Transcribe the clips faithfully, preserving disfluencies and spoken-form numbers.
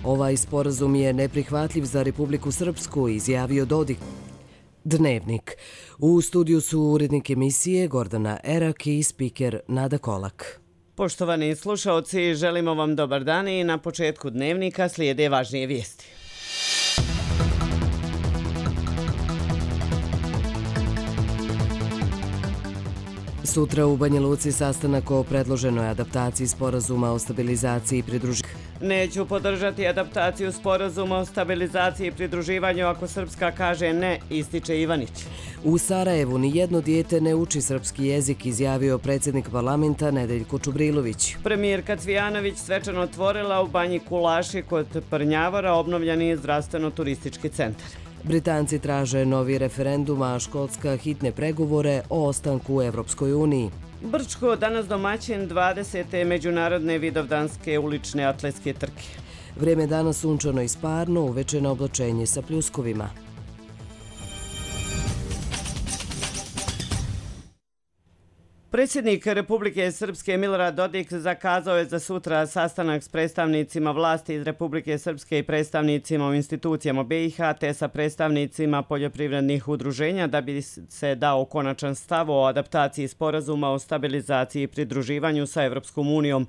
Ovaj sporazum je neprihvatljiv za Republiku Srpsku, izjavio Dodik. Dnevnik. U studiju su urednik emisije Gordana Erak i spiker Nada Kolak. Poštovani slušaoci, želimo vam dobar dan i na početku Dnevnika slijede važnije vijesti. Sutra u Banja Luci sastanak o predloženoj adaptaciji sporazuma o stabilizaciji i pridruživanju. Neću podržati adaptaciju sporazuma o stabilizaciji i pridruživanju ako Srpska kaže ne, ističe Ivanić. U Sarajevu nijedno dijete ne uči srpski jezik, izjavio predsjednik parlamenta Nedeljko Čubrilović. Premijerka Cvijanović svečano otvorila u Banji Kulaši kod Prnjavora obnovljeni zdravstveno-turistički centar. Britanci traže novi referendum, a Škotska hitne pregovore o ostanku u Evropskoj uniji. Brčko danas domaćin dvadesete međunarodne vidovdanske ulične atletske trke. Vrijeme danas sunčano i sparno, uveče na oblačenje sa pljuskovima. Predsjednik Republike Srpske Milorad Dodik zakazao je za sutra sastanak s predstavnicima vlasti iz Republike Srpske i predstavnicima u institucijama B i H te sa predstavnicima poljoprivrednih udruženja da bi se dao konačan stav o adaptaciji sporazuma o stabilizaciji i pridruživanju sa Evropskom unijom.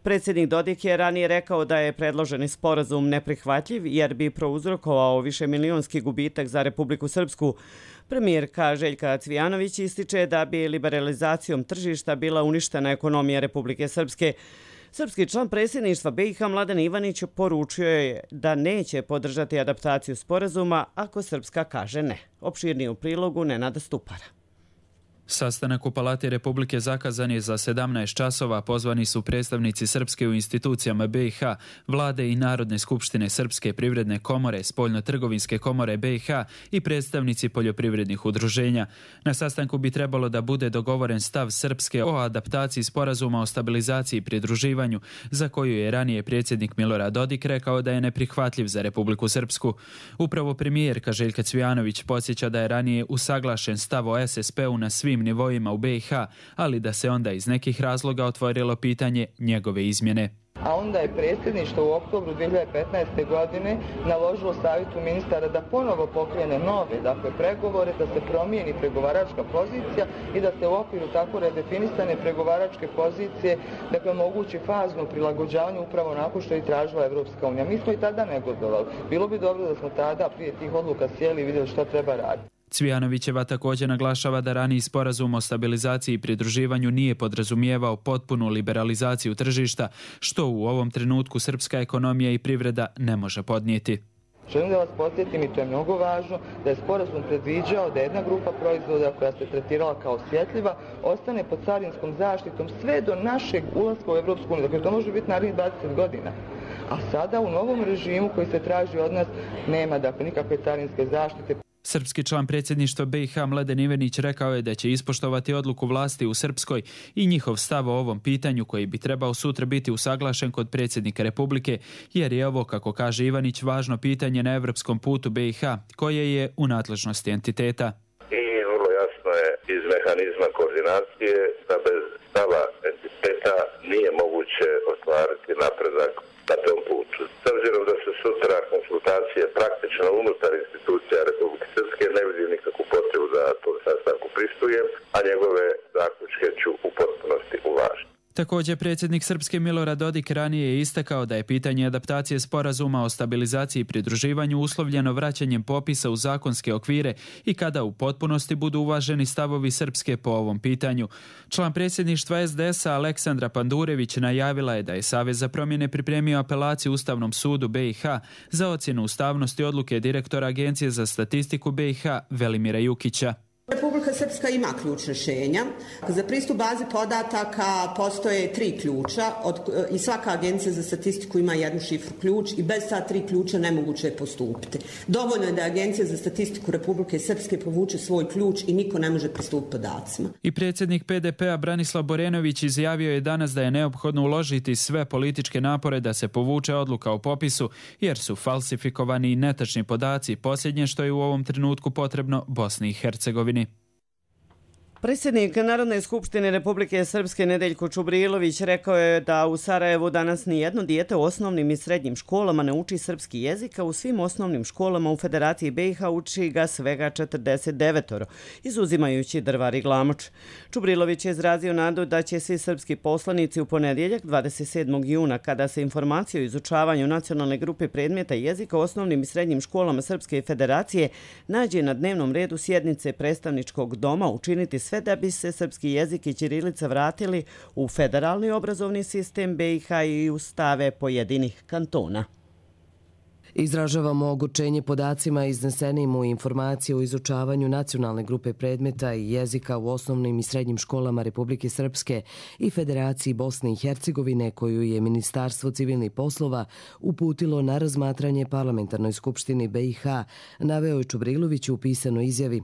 Predsjednik Dodik je ranije rekao da je predloženi sporazum neprihvatljiv jer bi prouzrokovao višemilionski gubitak za Republiku Srpsku. Premijerka Željka Cvijanović ističe da bi liberalizacijom tržišta bila uništena ekonomija Republike Srpske. Srpski član predsjedništva B i H Mladen Ivanić poručio je da neće podržati adaptaciju sporazuma ako Srpska kaže ne. Opširnije u prilogu Nenada Stupara. Sastanak u Palati Republike zakazan je za sedamnaest časova. Pozvani su predstavnici Srpske u institucijama B i H, Vlade i Narodne skupštine Srpske privredne komore, Spoljno-trgovinske komore B i H i predstavnici poljoprivrednih udruženja. Na sastanku bi trebalo da bude dogovoren stav Srpske o adaptaciji sporazuma o stabilizaciji i pridruživanju, za koju je ranije predsjednik Milorad Dodik rekao da je neprihvatljiv za Republiku Srpsku. Upravo premijerka Željka Cvijanović podsjeća da je ranije usaglašen stav o S S P-u na svim nivoima u B i H, ali da se onda iz nekih razloga otvorilo pitanje njegove izmjene. A onda je predsjedništvo u oktobru dvije hiljade petnaeste. godine naložilo savjetu ministara da ponovo pokrene nove, dakle, pregovore, da se promijeni pregovaračka pozicija i da se u okviru tako redefinisane pregovaračke pozicije, dakle, omogući fazno prilagođavanje upravo onako što je tražila Evropska unija. Mi smo i tada negodovali. Bilo bi dobro da smo tada prije tih odluka sjeli i vidjeli što treba raditi. Cvijanovićeva također naglašava da raniji sporazum o stabilizaciji i pridruživanju nije podrazumijevao potpunu liberalizaciju tržišta, što u ovom trenutku srpska ekonomija i privreda ne može podnijeti. Želim da vas podsjetim, i to je mnogo važno, da je sporazum predviđao da jedna grupa proizvoda koja se tretirala kao osjetljiva ostane pod carinskom zaštitom sve do našeg ulaska u Evropsku uniju. Dakle, to može biti narednih dvadeset godina. A sada u novom režimu koji se traži od nas nema, dakle, nikakve carinske zaštite. Srpski član predsjedništva B i H Mladen Ivanić rekao je da će ispoštovati odluku vlasti u Srpskoj i njihov stav o ovom pitanju koji bi trebao sutra biti usaglašen kod predsjednika Republike, jer je ovo, kako kaže Ivanić, važno pitanje na evropskom putu B i H, koje je u nadležnosti entiteta. I vrlo jasno je iz mehanizma koordinacije da bez stava entiteta nije moguće ostvariti napredak na tom putu. S obzirom da se sutra konsultacije praktično unutar institucija Republike Srpske, ne vidim nikakvu potrebu da tom sastanku pristujem, a njegove zaključke ću u potpunosti uvažiti. Također, predsjednik Srpske Milorad Dodik ranije je istakao da je pitanje adaptacije sporazuma o stabilizaciji i pridruživanju uslovljeno vraćanjem popisa u zakonske okvire i kada u potpunosti budu uvaženi stavovi Srpske po ovom pitanju. Član predsjedništva S D S-a Aleksandra Pandurević najavila je da je Savez za promjene pripremio apelaciju Ustavnom sudu B i H za ocjenu ustavnosti odluke direktora Agencije za statistiku B i H Velimira Jukića. Republika Srpska ima ključ rješenja. Za pristup bazi podataka postoje tri ključa od, i svaka agencija za statistiku ima jednu šifru ključ i bez ta tri ključa nemoguće je postupiti. Dovoljno je da Agencija za statistiku Republike Srpske povuče svoj ključ i niko ne može pristupiti podacima. I predsjednik P D P-a Branislav Borenović izjavio je danas da je neophodno uložiti sve političke napore da se povuče odluka o popisu, jer su falsifikovani i netačni podaci, posljednje što je u ovom trenutku potrebno Bosni i Hercegovini. Predsjednik Narodne skupštine Republike Srpske Nedeljko Čubrilović rekao je da u Sarajevu danas nijedno dijete u osnovnim i srednjim školama ne uči srpski jezik, a u svim osnovnim školama u Federaciji B i H uči ga svega četrdeset devet, izuzimajući Drvar i Glamoč. Čubrilović je izrazio nadu da će svi srpski poslanici u ponedjeljak dvadeset sedmog juna, kada se informacije o izučavanju nacionalne grupe predmeta jezika u osnovnim i srednjim školama Srpske federacije nađe na dnevnom redu sjednice predstavničkog doma, učiniti sve da bi se srpski jezik i ćirilica vratili u federalni obrazovni sistem B i H i u stave pojedinih kantona. Izražavamo ogorčenje podacima iznesenim u informacije o izučavanju nacionalne grupe predmeta i jezika u osnovnim i srednjim školama Republike Srpske i Federaciji Bosne i Hercegovine, koju je Ministarstvo civilnih poslova uputilo na razmatranje Parlamentarnoj skupštini B i H, naveo je Čubrilović u pisanoj izjavi.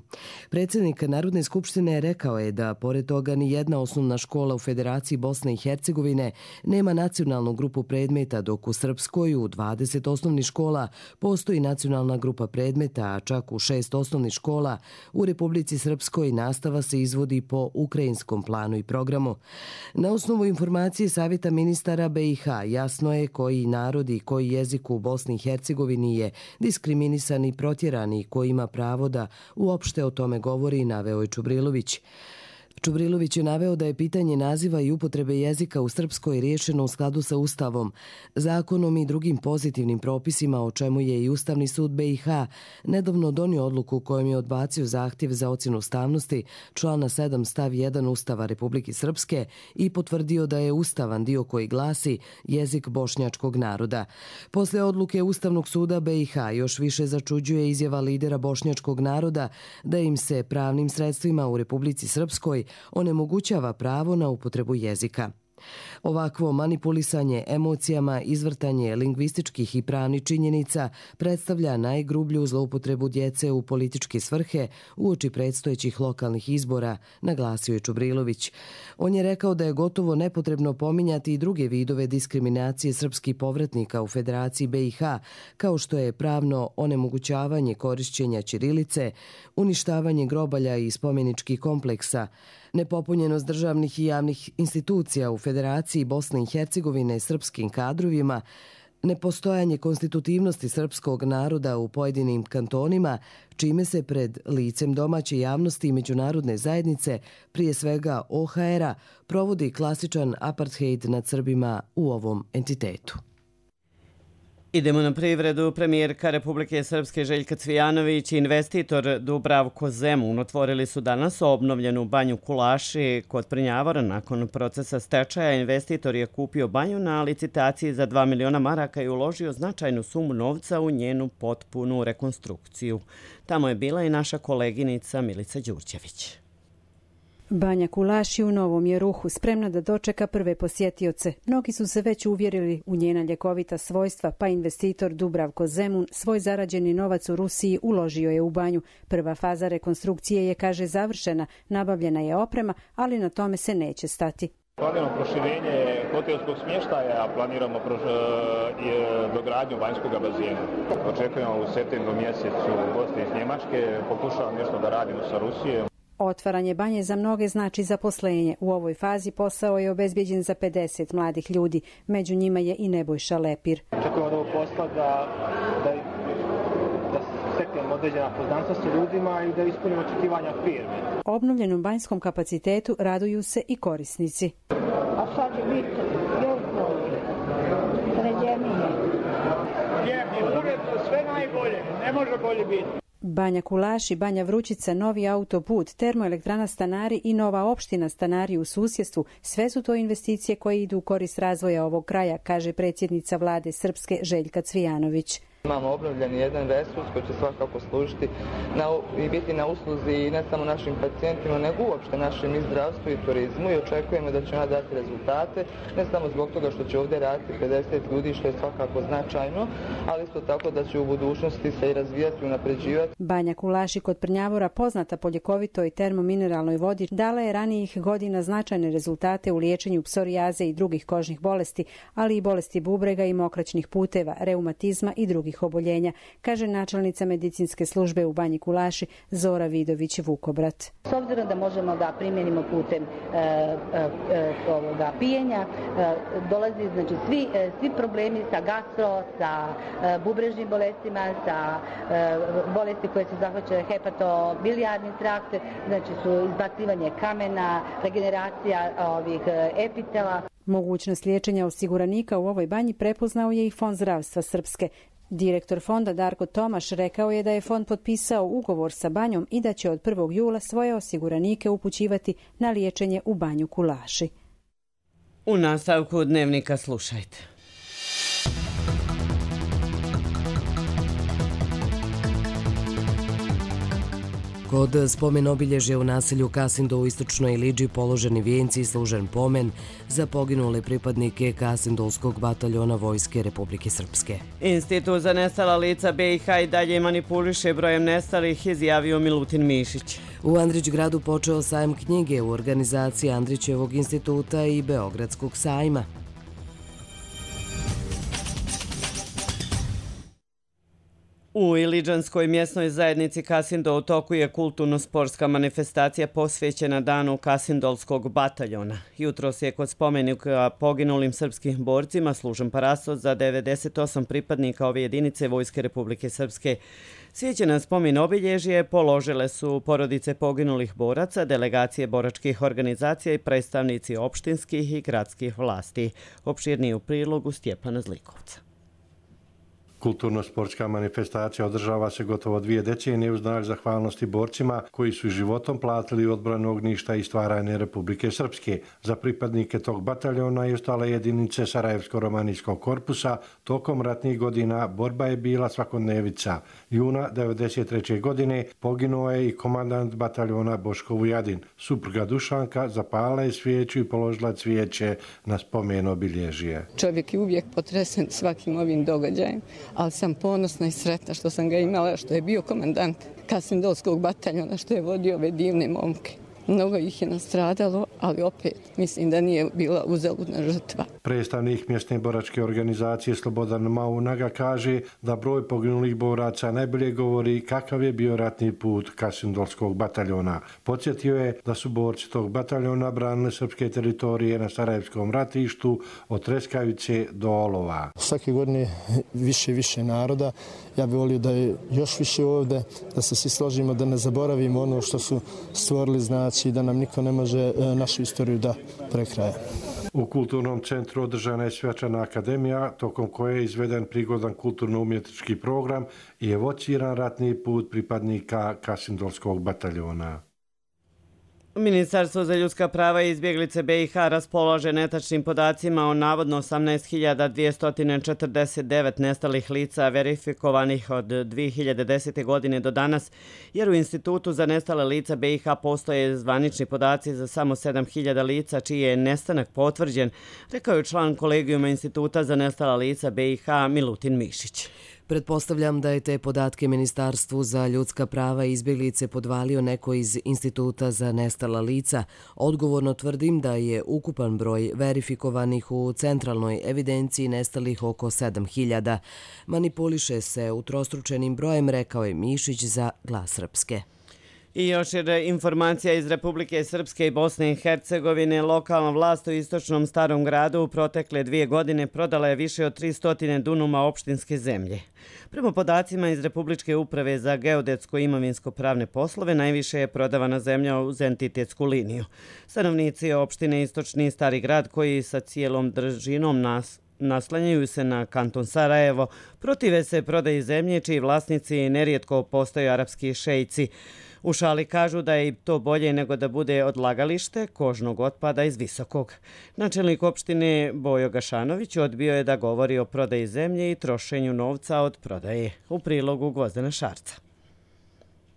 Predsjednik Narodne skupštine rekao je da, pored toga, ni jedna osnovna škola u Federaciji Bosne i Hercegovine nema nacionalnu grupu predmeta, dok u Srpskoj u dvadeset osnovnih škola postoji nacionalna grupa predmeta, a čak u šest osnovnih škola u Republici Srpskoj nastava se izvodi po ukrajinskom planu i programu. Na osnovu informacije Savjeta ministara B i H jasno je koji narod i koji jezik u Bosni i Hercegovini je diskriminisan i protjeran i ko ima pravo da uopšte o tome govori, naveo je Čubrilović. Čubrilović je naveo da je pitanje naziva i upotrebe jezika u Srpskoj riješeno u skladu sa Ustavom, zakonom i drugim pozitivnim propisima, o čemu je i Ustavni sud B i H nedavno donio odluku kojom je odbacio zahtjev za ocjenu ustavnosti člana sedam stav jedan Ustava Republike Srpske i potvrdio da je ustavan dio koji glasi jezik bošnjačkog naroda. Posle odluke Ustavnog suda B i H još više začuđuje izjava lidera bošnjačkog naroda da im se pravnim sredstvima u Republici Srpskoj onemogućava pravo na upotrebu jezika. Ovakvo manipulisanje emocijama, izvrtanje lingvističkih i pravnih činjenica predstavlja najgrublju zloupotrebu djece u političke svrhe uoči predstojećih lokalnih izbora, naglasio je Čubrilović. On je rekao da je gotovo nepotrebno pominjati i druge vidove diskriminacije srpskih povratnika u Federaciji B i H, kao što je pravno onemogućavanje korišćenja ćirilice, uništavanje grobalja i spomeničkih kompleksa, nepopunjenost državnih i javnih institucija u Federaciji Bosne i Hercegovine srpskim kadrovima, nepostojanje konstitutivnosti srpskog naroda u pojedinim kantonima, čime se pred licem domaće javnosti i međunarodne zajednice, prije svega O H R-a, provodi klasičan apartheid nad Srbima u ovom entitetu. Idemo na privredu. Premijerka Republike Srpske Željka Cvijanović i investitor Dubravko Zemun otvorili su danas obnovljenu banju Kulaši kod Prnjavora. Nakon procesa stečaja investitor je kupio banju na licitaciji za dva miliona maraka i uložio značajnu sumu novca u njenu potpunu rekonstrukciju. Tamo je bila i naša koleginica Milica Đurđević. Banja Kulaši u Novom je ruhu, spremna da dočeka prve posjetioce. Mnogi su se već uvjerili u njena ljekovita svojstva, pa investitor Dubravko Zemun svoj zarađeni novac u Rusiji uložio je u banju. Prva faza rekonstrukcije je, kaže, završena, nabavljena je oprema, ali na tome se neće stati. Planiramo proširenje hotelskog smještaja, planiramo dogradnju banjskog bazena. Očekujemo u septembru mjesecu goste iz Njemačke, pokušavamo nešto da radimo sa Rusijom. Otvaranje banje za mnoge znači zaposlenje. U ovoj fazi posao je obezbeđen za pedeset mladih ljudi. Među njima je i Nebojša Lepir. Očekujemo od ovog posla da, da, da steknemo određena poznanstva sa ljudima i da ispunimo očekivanja firme. Obnovljenom banjskom kapacitetu raduju se i korisnici. A sad će biti još bolje, sređenije. Lijepi, uredno, sve najbolje, ne može bolje biti. Banja Kulaši, Banja Vrućica, novi autoput, termoelektrana Stanari i nova opština Stanari u susjedstvu, sve su to investicije koje idu u korist razvoja ovog kraja, kaže predsjednica vlade Srpske Željka Cvijanović. Imamo obnovljen jedan resurs koji će svakako služiti na, i biti na usluzi ne samo našim pacijentima, nego uopšte našem i zdravstvu i turizmu i očekujemo da će ona dati rezultate, ne samo zbog toga što će ovdje raditi pedeset ljudi, što je svakako značajno, ali isto tako da će u budućnosti se i razvijati i unapređivati. Banja Kulaši kod Prnjavora, poznata po ljekovitoj termomineralnoj vodi, dala je ranijih godina značajne rezultate u liječenju psorijaze i drugih kožnih bolesti, ali i bolesti bubrega i mokraćnih puteva, reumatizma i drugih novih oboljenja, kaže načelnica medicinske službe u Banji Kulaši Zora Vidović-Vukobrat. S obzirom da možemo da primjenimo putem e, e, ovoga pijenja, e, dolazi znači svi, e, svi problemi sa gastro, sa e, bubrežnim bolestima, sa e, bolesti koje se zahvaćaju hepatobilijarni trakt, znači su izbacivanje kamena, regeneracija ovih e, epitela. Mogućnost liječenja osiguranika u ovoj banji prepoznao je i Fond zdravstva Srpske. Direktor fonda Darko Tomaš rekao je da je fond potpisao ugovor sa banjom i da će od prvog jula svoje osiguranike upućivati na liječenje u Banju Kulaši. U nastavku dnevnika slušajte. Kod spomen obilježja u naselju Kasindo u istočnoj Ilidži položeni vijenci i služen pomen za poginule pripadnike Kasindolskog bataljona Vojske Republike Srpske. Institut za nestala lica B i H i dalje manipuliše brojem nestalih, izjavio Milutin Mišić. U Andrićgradu počeo sajam knjige u organizaciji Andrićevog instituta i Beogradskog sajma. U Iliđanskoj mjesnoj zajednici Kasindo u toku je kulturno-sportska manifestacija posvećena danu Kasindolskog bataljona. Jutros je kod spomenika poginulim srpskim borcima služen parastos za devedeset osam pripadnika ove jedinice Vojske Republike Srpske. Svijeće na spomen obilježje položile su porodice poginulih boraca, delegacije boračkih organizacija i predstavnici opštinskih i gradskih vlasti. Opširniji u prilogu Stjepana Zlikovca. Kulturno-sportska manifestacija održava se gotovo dvije decenije u znak zahvalnosti borcima koji su životom platili odbranu ognjišta i stvaranje Republike Srpske. Za pripadnike tog bataljona i ostale jedinice Sarajevsko-romanijskog korpusa tokom ratnih godina borba je bila svakodnevica. Juna devedeset treće. godine poginuo je i komandant bataljona Boško Vujadin. Supruga Dušanka zapala je svijeću i položila cvijeće na spomen obilježje. Čovjek je uvijek potresen svakim ovim događajem, ali sam ponosna i sretna što sam ga imala, što je bio komandant Kasindolskog bataljona, što je vodio ove divne momke. Mnogo ih je nastradalo, ali opet mislim da nije bila uzaludna žrtva. Predstavnik mjesne boračke organizacije Slobodan Maunaga kaže da broj poginulih boraca najbolje govori kakav je bio ratni put Kasindolskog bataljona. Podsjetio je da su borci tog bataljona branili srpske teritorije na Sarajevskom ratištu od Treskavice do Olova. Svake godine više i više naroda. Ja bih volio da je još više ovdje, da se svi složimo, da ne zaboravimo ono što su stvorili, znači da nam niko ne može našu istoriju da prekraja. U kulturnom centru održana je svečana akademija, tokom koje je izveden prigodan kulturno-umjetnički program i evociran ratni put pripadnika Kasindolskog bataljona. Ministarstvo za ljudska prava i izbjeglice B i H raspolaže netačnim podacima o navodno osamnaest hiljada dvjesto četrdeset devet nestalih lica verifikovanih od dvije hiljade desete. godine do danas, jer u Institutu za nestale lica B i H postoje zvanični podaci za samo sedam hiljada lica čiji je nestanak potvrđen, rekao je član kolegijuma Instituta za nestala lica B i H Milutin Mišić. Pretpostavljam da je te podatke Ministarstvu za ljudska prava i izbjeglice podvalio neko iz Instituta za nestala lica. Odgovorno tvrdim da je ukupan broj verifikovanih u centralnoj evidenciji nestalih oko sedam hiljada. Manipuliše se utrostručenim brojem, rekao je Mišić za Glas Srpske. I još je informacija iz Republike Srpske i Bosne i Hercegovine. Lokalna vlast u istočnom Starom gradu u protekle dvije godine prodala je više od tristo dunuma opštinske zemlje. Prema podacima iz Republičke uprave za geodetsko-imovinsko-pravne poslove, najviše je prodavana zemlja uz entitetsku liniju. Stanovnici opštine Istočni Stari grad, koji sa cijelom držinom nas naslanjaju se na kanton Sarajevo, protive se prodaji zemlje čiji vlasnici nerijetko postaju arapski šejci. U šali kažu da je to bolje nego da bude odlagalište kožnog otpada iz Visokog. Načelnik opštine Bojo Gašanović odbio je da govori o prodaji zemlje i trošenju novca od prodaje. U prilogu Gvozdena Šarca.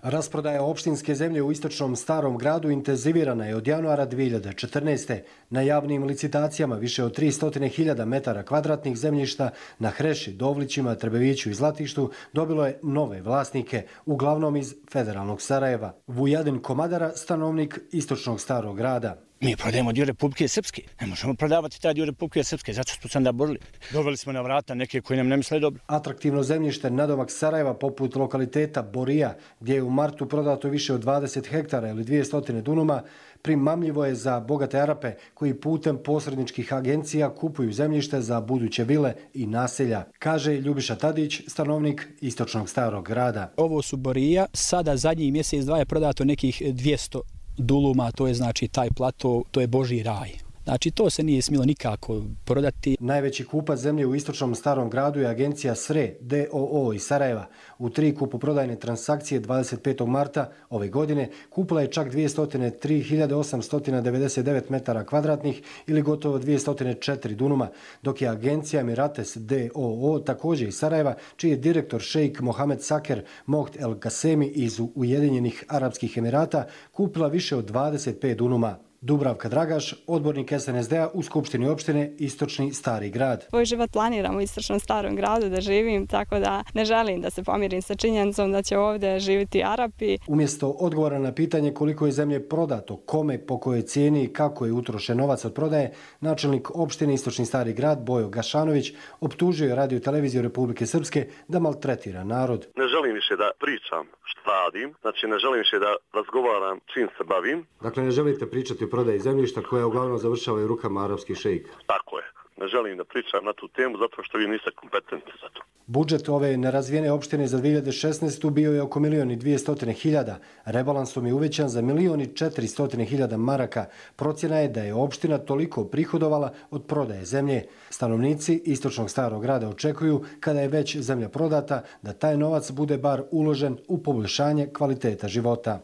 Rasprodaja opštinske zemlje u istočnom Starom gradu intenzivirana je od januara dvije hiljade četrnaeste. Na javnim licitacijama više od tristo hiljada metara kvadratnih zemljišta na Hreši, Dovlićima, Trebeviću i Zlatištu dobilo je nove vlasnike, uglavnom iz federalnog Sarajeva. Vujadin Komadara, stanovnik istočnog Starog grada. Mi prodajemo dio Republike Srpske. Ne možemo prodavati taj dio Republike Srpske, zato smo se onda borili. Doveli smo na vrata neke koji nam ne misle dobro. Atraktivno zemljište nadomak Sarajeva, poput lokaliteta Borija, gdje je u martu prodato više od dvadeset hektara ili dvjesto dunuma, primamljivo je za bogate Arape koji putem posredničkih agencija kupuju zemljište za buduće vile i naselja, kaže Ljubiša Tadić, stanovnik istočnog Starog grada. Ovo su Borija, sada zadnji mjesec dva je prodato nekih dvjesto duluma, to je znači taj plato, to je Božji raj. Znači to se nije smjelo nikako prodati. Najveći kupac zemlje u istočnom Starom gradu je agencija S R E D O O iz Sarajeva. U tri kupoprodajne transakcije dvadeset petog marta ove godine kupila je čak dvjesto tri hiljade osamsto devedeset devet metara kvadratnih ili gotovo dvjesto četiri dunuma, dok je agencija Emirates D O O također iz Sarajeva, čiji je direktor šejk Mohamed Saker Moht El Kasemi iz Ujedinjenih Arapskih Emirata kupila više od dvadeset pet dunuma. Dubravka Dragaš, odbornik S N S D-a u Skupštini opštine Istočni Stari grad. Svoj život planiram u Istočnom Starom gradu da živim, tako da ne želim da se pomirim sa činjenicom da će ovdje živjeti Arapi. Umjesto odgovora na pitanje koliko je zemlje prodato, kome, po kojoj cijeni i kako je utrošen novac od prodaje, načelnik opštine Istočni Stari grad Bojo Gašanović optužio je Radio televiziju Republike Srpske da maltretira narod. Ne želim više da pričam što radim, znači ne želim više da razgovaram čim se bavim. Dakle, ne želite pričati o prodaji zemljišta koja uglavnom završava u rukama arapskih šejika. Tako je. Ne želim da pričam na tu temu zato što vi niste kompetentni za to. Budžet ove nerazvijene opštine za dvije hiljade šesnaestu. bio je oko milion i dvjesto hiljada. Rebalansom je uvećan za milion i četiristo hiljada maraka. Procjena je da je opština toliko prihodovala od prodaje zemlje. Stanovnici Istočnog Starog grada očekuju, kada je već zemlja prodata, da taj novac bude bar uložen u poboljšanje kvaliteta života.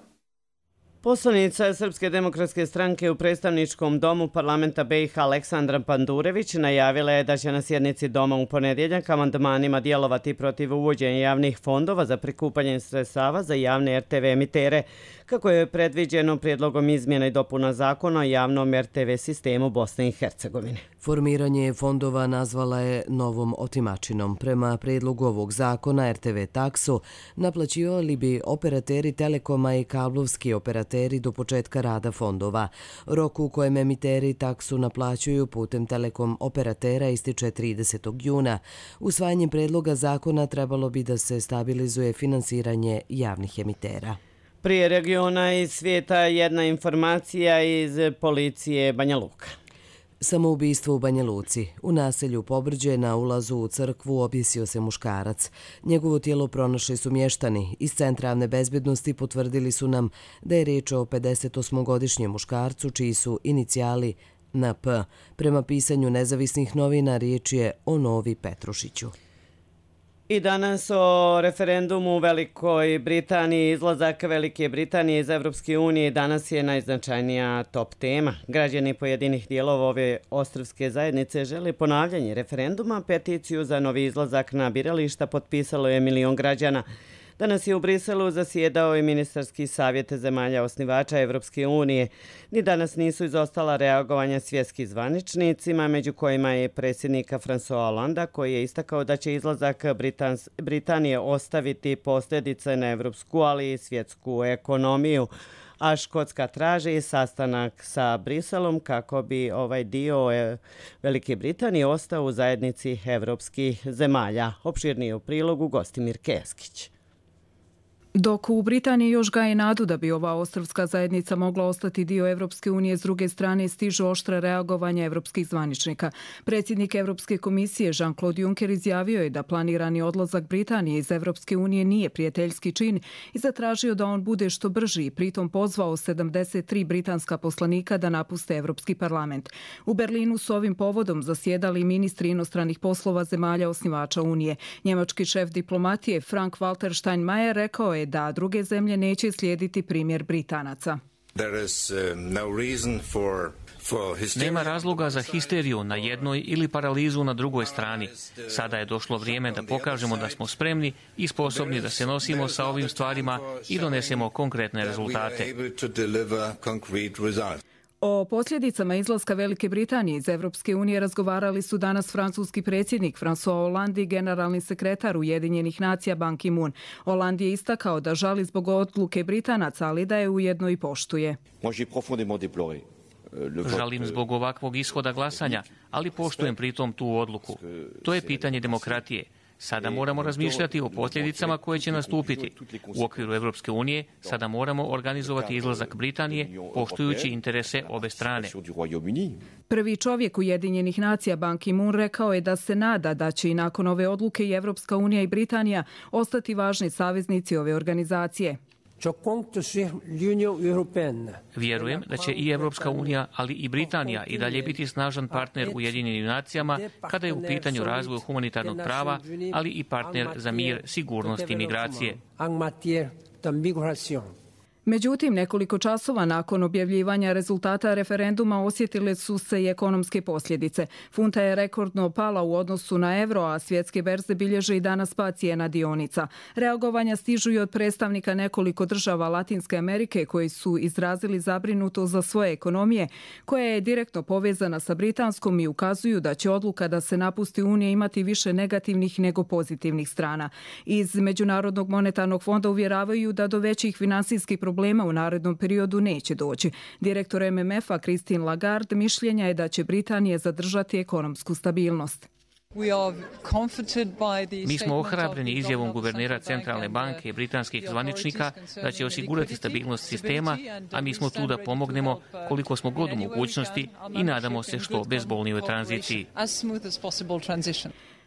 Poslanica Srpske demokratske stranke u predstavničkom domu parlamenta B i H Aleksandra Pandurević najavila je da će na sjednici doma u ponedjeljak amandmanima djelovati protiv uvođenja javnih fondova za prikupanje sredstava za javne R T V emitere, kako je predviđeno prijedlogom izmjena i dopuna zakona o javnom R T V sistemu Bosne i Hercegovine. Formiranje fondova nazvala je novom otimačinom. Prema prijedlogu ovog zakona R T V taksu naplaćivali bi operateri Telekoma i kablovski operateri do početka rada fondova. Rok u kojem emiteri taksu naplaćuju putem Telekom operatera ističe tridesetog juna. Usvajanjem predloga zakona trebalo bi da se stabilizuje finansiranje javnih emitera. Prije regiona i svijeta jedna informacija iz policije Banja Luka. Samoubistvo u Banja Luci. U naselju Pobrđe na ulazu u crkvu objesio se muškarac. Njegovo tijelo pronašli su mještani. Iz Centra javne bezbednosti potvrdili su nam da je riječ o pedesetosmogodišnjem muškarcu čiji su inicijali N P. Prema pisanju nezavisnih novina riječ je o Novi Petrušiću. I danas o referendumu u Velikoj Britaniji. Izlazak Velike Britanije iz Evropske unije danas je najznačajnija top tema. Građani pojedinih dijelova ove ostrvske zajednice žele ponavljanje referenduma. Peticiju za novi izlazak na birališta potpisalo je milion građana. Danas je u Briselu zasjedao i ministarski savjet zemalja osnivača Evropske unije. Ni danas nisu izostala reagovanja svjetskih zvaničnicima, među kojima je predsjednika François Hollanda, koji je istakao da će izlazak Britans, Britanije ostaviti posljedice na evropsku, ali i svjetsku ekonomiju. A Škotska traži sastanak sa Briselom kako bi ovaj dio Velike Britanije ostao u zajednici evropskih zemalja. Opširnije u prilogu Gostimir Keskić. Dok u Britaniji još gaje nadu da bi ova ostrvska zajednica mogla ostati dio Evropske unije, s druge strane stižu oštra reagovanja evropskih zvaničnika. Predsjednik Evropske komisije Jean-Claude Juncker izjavio je da planirani odlazak Britanije iz Evropske unije nije prijateljski čin i zatražio da on bude što brži i pritom pozvao sedamdeset tri britanska poslanika da napuste Evropski parlament. U Berlinu su ovim povodom zasjedali ministri inostranih poslova zemalja osnivača Unije. Njemački šef diplomatije Frank-Walter Steinmeier rekao je da druge zemlje neće slijediti primjer Britanaca. Nema razloga za histeriju na jednoj ili paralizu na drugoj strani. Sada je došlo vrijeme da pokažemo da smo spremni i sposobni da se nosimo sa ovim stvarima i donesemo konkretne rezultate. O posljedicama izlaska Velike Britanije iz Evropske unije razgovarali su danas francuski predsjednik François Hollande i generalni sekretar Ujedinjenih nacija Ban Ki-moon. Hollande je istakao da žali zbog odluke Britanaca, ali da je ujedno i poštuje. Žalim zbog ovakvog ishoda glasanja, ali poštujem pritom tu odluku. To je pitanje demokratije. Sada moramo razmišljati o posljedicama koje će nastupiti. U okviru Evropske unije sada moramo organizovati izlazak Britanije poštujući interese obe strane. Prvi čovjek Ujedinjenih nacija Ban Ki-moon rekao je da se nada da će i nakon ove odluke i Evropska unija i Britanija ostati važni saveznici ove organizacije. Vjerujem da će i Evropska unija, ali i Britanija i dalje biti snažan partner Ujedinjenim nacijama kada je u pitanju razvoj humanitarnog prava, ali i partner za mir, sigurnost i migracije. Međutim, nekoliko časova nakon objavljivanja rezultata referenduma osjetile su se i ekonomske posljedice. Funta je rekordno pala u odnosu na evro, a svjetske berze bilježe i danas pad cijena dionica. Reagovanja stižu i od predstavnika nekoliko država Latinske Amerike koji su izrazili zabrinutost za svoje ekonomije, koja je direktno povezana sa britanskom i ukazuju da će odluka da se napusti Unija imati više negativnih nego pozitivnih strana. Iz Međunarodnog monetarnog fonda uvjeravaju da do većih finansijskih problema problema u narednom periodu neće doći. Direktor M M F-a Christine Lagarde mišljenja je da će Britanija zadržati ekonomsku stabilnost. Mi smo ohrabreni izjavom guvernera Centralne banke i britanskih zvaničnika da će osigurati stabilnost sistema, a mi smo tu da pomognemo koliko smo god u mogućnosti i nadamo se što bezbolnijoj tranziciji.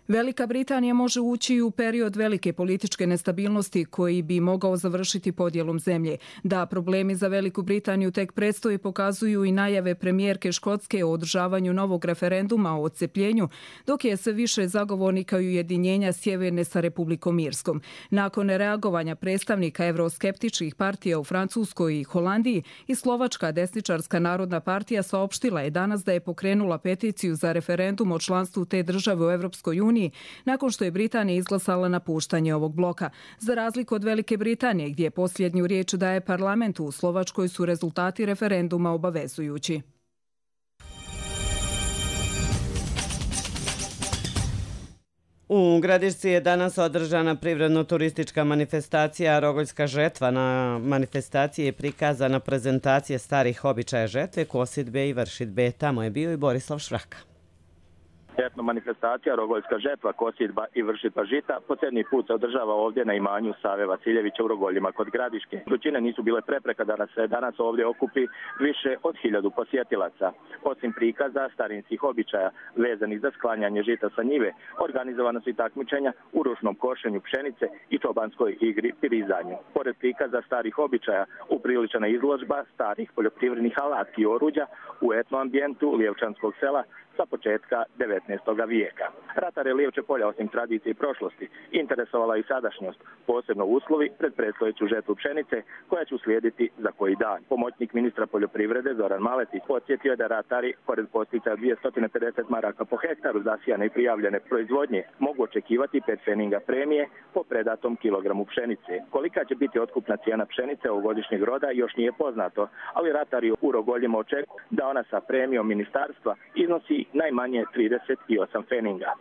Velika Britanija može ući u period velike političke nestabilnosti koji bi mogao završiti podjelom zemlje. Da problemi za Veliku Britaniju tek predstoji pokazuju i najave premijerke Škotske o održavanju novog referenduma o odcepljenju, dok je sve više zagovornika i ujedinjenja Sjeverne sa Republikom Irskom. Nakon reagovanja predstavnika evroskeptičkih partija u Francuskoj i Holandiji, i Slovačka desničarska narodna partija saopštila je danas da je pokrenula peticiju za referendum o članstvu te države u Evropskoj uniji nakon što je Britanija izglasala napuštanje ovog bloka. Za razliku od Velike Britanije, gdje posljednju riječ daje parlamentu, u Slovačkoj su rezultati referenduma obavezujući. U Gradišci je danas održana privredno-turistička manifestacija Rogoljska žetva. Na manifestaciji je prikazana prezentacija starih običaja žetve, kosidbe i vršidbe. Tamo je bio i Borislav Švraka. Etno manifestacija Rogoljska žetva, kosidba i vršidba žita po sedmi put se održava ovdje na imanju Save Vasiljevića u Rogoljima kod Gradiške. Vrućine nisu bile prepreka da se danas ovdje okupi više od hiljadu posjetilaca. Osim prikaza starinskih običaja vezanih za sklanjanje žita sa njive, organizovano su i takmičenja u ručnom košenju pšenice i čobanskoj igri pirizanju. Pored prikaza starih običaja, upriličena izložba starih poljoprivrednih alatki i oruđa u etno ambijentu Lijevčanskog sela sa početka devetnaestog vijeka. Ratare Lijevče polja, osim tradicije i prošlosti, interesovala i sadašnjost, posebno uslovi pred predstojeću žetvu pšenice koja će uslijediti za koji dan. Pomoćnik ministra poljoprivrede Zoran Maletić podsjetio je da ratari, pored posticaja dvjesto pedeset maraka po hektaru zasijane i prijavljene proizvodnje, mogu očekivati pet feninga premije po predatom kilogramu pšenice. Kolika će biti otkupna cijena pšenice ovogodišnjeg roda još nije poznato, ali ratari u Rogoljima očekuju da ona sa premijom ministarstva iznosi najmanje trideset osam feninga.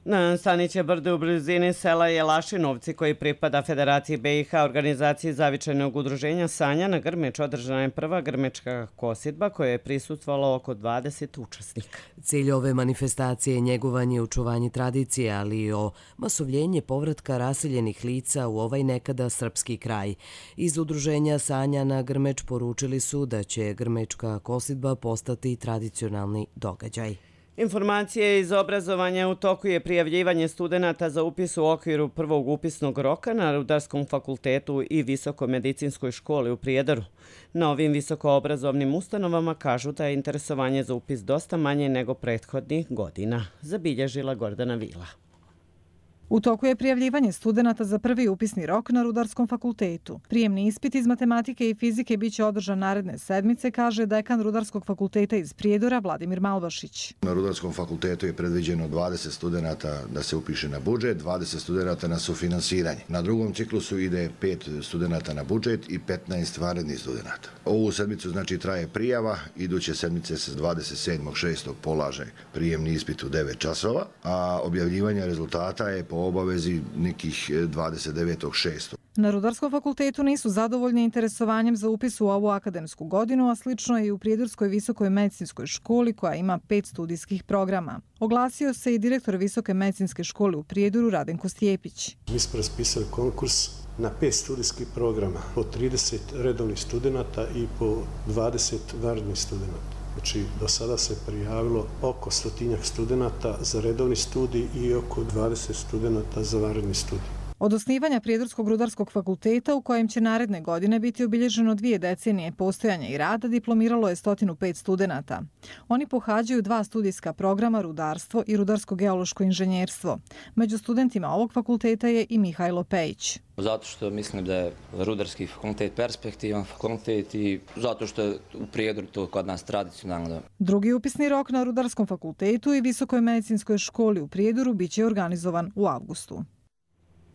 Na Staniće brdu u blizini sela Jelašinovci, koji pripada Federaciji B i H, organizaciji zavičajnog udruženja Sanja, na Grmeč održana je prva grmečka kosidba koja je prisutvalo oko dvadeset učesnika. Cilj ove manifestacije je njegovanje i očuvanje tradicije, ali i o masovljenje povratka raseljenih lica u ovaj nekada srpski kraj. Iz udruženja Sanja na Grmeč poručili su da će grmečka kosidba postati tradicionalni događaj. Informacije iz obrazovanja: u toku je prijavljivanje studenata za upis u okviru prvog upisnog roka na Rudarskom fakultetu i Visokomedicinskoj školi u Prijedoru. Na ovim visokoobrazovnim ustanovama kažu da je interesovanje za upis dosta manje nego prethodnih godina, zabilježila Gordana Vila. U toku je prijavljivanje studenata za prvi upisni rok na Rudarskom fakultetu. Prijemni ispit iz matematike i fizike biće održan naredne sedmice, kaže dekan Rudarskog fakulteta iz Prijedora Vladimir Malbašić. Na Rudarskom fakultetu je predviđeno dvadeset studenata da se upiše na budžet, dvadeset studenata na sufinansiranje. Na drugom ciklusu ide pet studenata na budžet i petnaest vanrednih studenata. Ovu sedmicu znači traje prijava, iduće sedmice se dvadeset sedmog šestog polaže prijemni ispit u devet časova, a objavljivanje rezultata je po obavezi nekih dvadeset devetog šestog Na Rudarskom fakultetu nisu zadovoljni interesovanjem za upis u ovu akademsku godinu, a slično je i u Prijedorskoj visokoj medicinskoj školi koja ima pet studijskih programa. Oglasio se i direktor Visoke medicinske škole u Prijedoru Radenko Stjepić. Mi smo raspisali konkurs na pet studijskih programa, po trideset redovnih studenata i po dvadeset vanrednih studenata. Znači, do sada se prijavilo oko stotinjak studenata za redovni studij i oko dvadeset studenata za vanredni studij. Od osnivanja Prijedorskog rudarskog fakulteta, u kojem će naredne godine biti obilježeno dvije decenije postojanja i rada, diplomiralo je sto pet studenata. Oni pohađaju dva studijska programa rudarstvo i rudarsko-geološko inženjerstvo. Među studentima ovog fakulteta je i Mihajlo Pejić. Zato što mislim da je rudarski fakultet perspektivan fakultet i zato što je u Prijedoru to kod nas tradicionalno. Drugi upisni rok na Rudarskom fakultetu i Visokoj medicinskoj školi u Prijedoru biće organizovan u avgustu.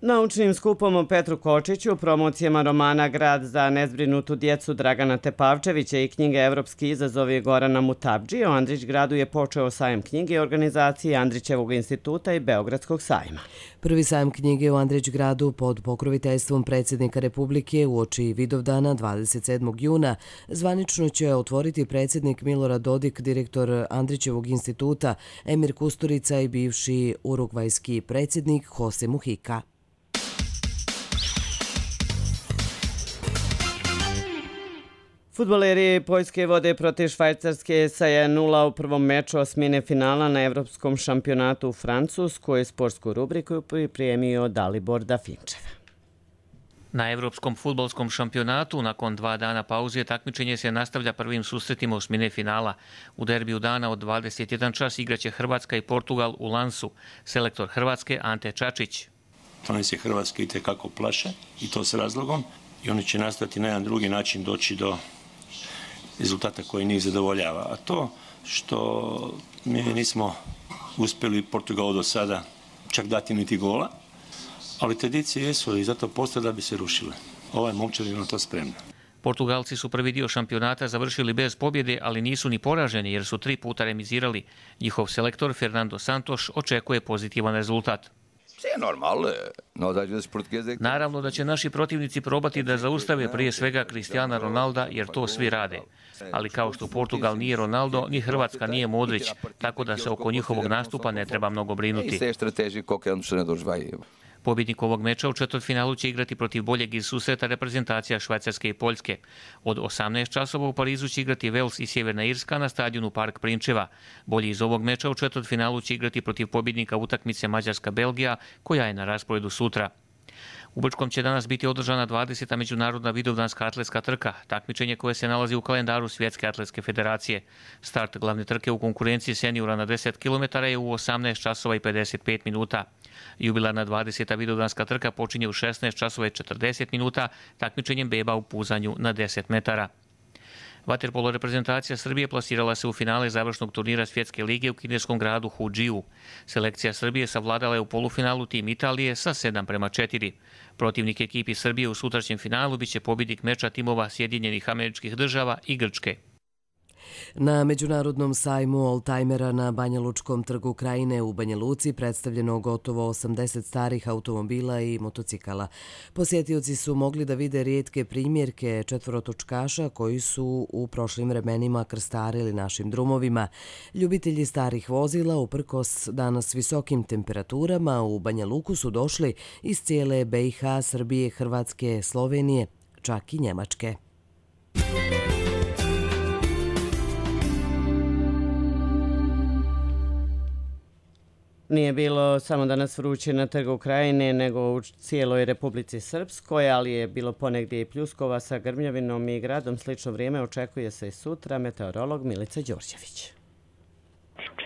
Naučnim skupom o Petru Kočiću, promocijama romana Grad za nezbrinutu djecu Dragana Tepavčevića i knjige Evropski izazovi Gorana Mutabdžije, u Andrićgradu je počeo sajam knjige organizacije Andrićevog instituta i Beogradskog sajma. Prvi sajam knjige u Andrićgradu pod pokroviteljstvom predsjednika Republike uoči Vidovdana dvadeset sedmog juna zvanično će otvoriti predsjednik Milorad Dodik, direktor Andrićevog instituta, Emir Kusturica i bivši urugvajski predsjednik Jose Mujica. Fudbaleri Poljske vode protiv Švajcarske sa jedan nula u prvom meču osmine finala na Evropskom šampionatu u Francuskoj. Sportsku rubriku pripremio Dalibor Dafinčev. Na Evropskom fudbalskom šampionatu nakon dva dana pauze takmičenje se nastavlja prvim susretima osmine finala. U derbiju dana od dvadeset jedan čas igraće Hrvatska i Portugal u Lansu. Selektor Hrvatske Ante Čačić. Oni se Hrvatske itekako plaše i to s razlogom i oni će nastaviti na jedan drugi način doći do rezultata koji njih zadovoljava. A to što mi nismo uspjeli Portugalu do sada čak dati niti gola, ali tradicije jesu i zato postoje da bi se rušile. Ovaj momčad je na to spremna. Portugalci su prvi dio šampionata završili bez pobjede, ali nisu ni poraženi jer su tri puta remizirali. Njihov selektor Fernando Santos očekuje pozitivan rezultat. Naravno da će naši protivnici probati da zaustave prije svega Cristiana Ronalda jer to svi rade. Ali kao što Portugal nije Ronaldo, ni Hrvatska nije Modrić, tako da se oko njihovog nastupa ne treba mnogo brinuti. Pobjednik ovog meča u četvrtfinalu će igrati protiv boljeg iz susreta reprezentacija Švajcarske i Poljske. Od osamnaest časova u Parizu će igrati Vels i Sjeverna Irska na stadionu Park Prinčeva. Bolji iz ovog meča u četvrtfinalu će igrati protiv pobjednika utakmice Mađarska-Belgija, koja je na rasporedu sutra. U Brčkom će danas biti održana dvadeseta međunarodna vidovdanska atletska trka, takmičenje koje se nalazi u kalendaru Svjetske atletske federacije. Start glavne trke u konkurenciji seniora na deset kilometara je u osamnaest časova i pedeset pet minuta. Jubilarna dvadeseta vidovdanska trka počinje u šesnaest časova i četrdeset minuta takmičenjem beba u puzanju na deset metara. Vaterpolo reprezentacija Srbije plasirala se u finale završnog turnira Svjetske lige u kineskom gradu Hudžiju. Selekcija Srbije savladala je u polufinalu tim Italije sa sedam prema četiri. Protivnik ekipi Srbije u sutrašnjem finalu biće pobjednik meča timova Sjedinjenih Američkih Država i Grčke. Na Međunarodnom sajmu oldtajmera na Banja Lučkom trgu Krajine u Banja Luci predstavljeno gotovo osamdeset starih automobila i motocikala. Posjetioci su mogli da vide rijetke primjerke četvorotočkaša koji su u prošlim vremenima krstarili našim drumovima. Ljubitelji starih vozila, uprkos danas visokim temperaturama, u Banja Luku su došli iz cijele B i H, Srbije, Hrvatske, Slovenije, čak i Njemačke. Nije bilo samo danas vruće na trgu Krajine, nego u cijeloj Republici Srpskoj, ali je bilo ponegdje i pljuskova sa grmljavinom i gradom. Slično vrijeme očekuje se i sutra. Meteorolog Milica Đorđević.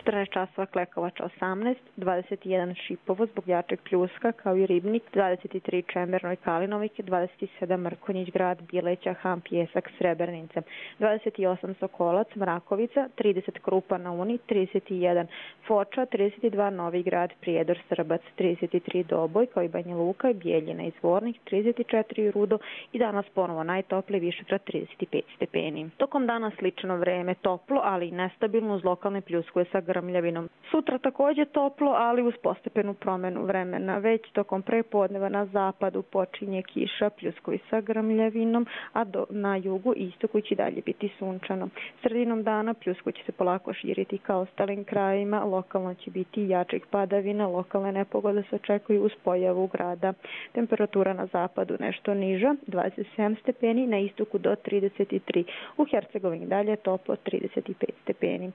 četrnaest časova Klekovača osamnaest, dvadeset jedan Šipovo zbog jačeg pljuska kao i Ribnik, dvadeset tri Čemerno i Kalinovike, dvadeset sedam Mrkonjić grad, Bileća, Han, Pjesak, Srebrenice, dvadeset osam Sokolac, Mrakovica, trideset Krupa na Uni, trideset jedan Foča, trideset dva Novi grad, Prijedor, Srbac, trideset tri Doboj kao i Banja Luka i Bijeljina i Zvornik, trideset četiri Rudo i danas ponovo najtoplije Višegrad trideset pet stepeni. Tokom dana slično vreme, toplo, ali i nestabilno uz lokalne pljuskuje sa grmom. grmljavinom. Sutra također toplo, ali uz postepenu promjenu vremena. Već tokom prepodneva na zapadu počinje kiša, pljuskovi sa grmljavinom, a do, na jugu i istoku će dalje biti sunčano. Sredinom dana pljusko će se polako širiti ka ostalim krajima, lokalno će biti jačih padavina, lokalne nepogode se očekuju uz pojavu grada. Temperatura na zapadu nešto niža, dvadeset sedam stepeni, na istoku do trideset tri. U Hercegovini dalje toplo, trideset pet stepeni.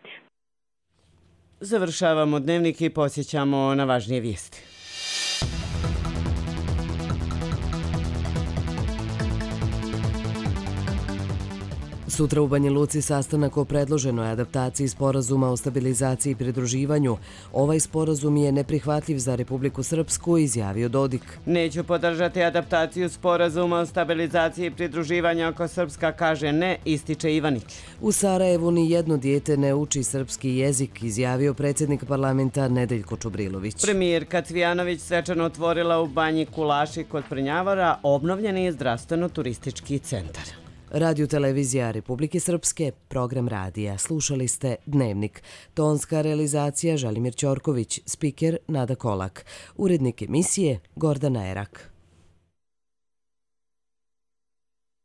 Završavamo dnevnik i posjećamo na važnije vijesti. Sutra u Banja Luci sastanak o predloženoj adaptaciji sporazuma o stabilizaciji i pridruživanju. Ovaj sporazum je neprihvatljiv za Republiku Srpsku, izjavio Dodik. Neću podržati adaptaciju sporazuma o stabilizaciji i pridruživanju ako Srpska kaže ne, ističe Ivanić. U Sarajevu ni jedno dijete ne uči srpski jezik, izjavio predsjednik parlamenta Nedeljko Čubrilović. Premijerka Cvijanović svečano otvorila u Banji Kulaši kod Prnjavora obnovljeni zdravstveno-turistički centar. Radio televizija Republike Srpske, program radija. Slušali ste Dnevnik. Tonska realizacija Želimir Ćorković, spiker Nada Kolak. Urednik emisije Gordana Erak.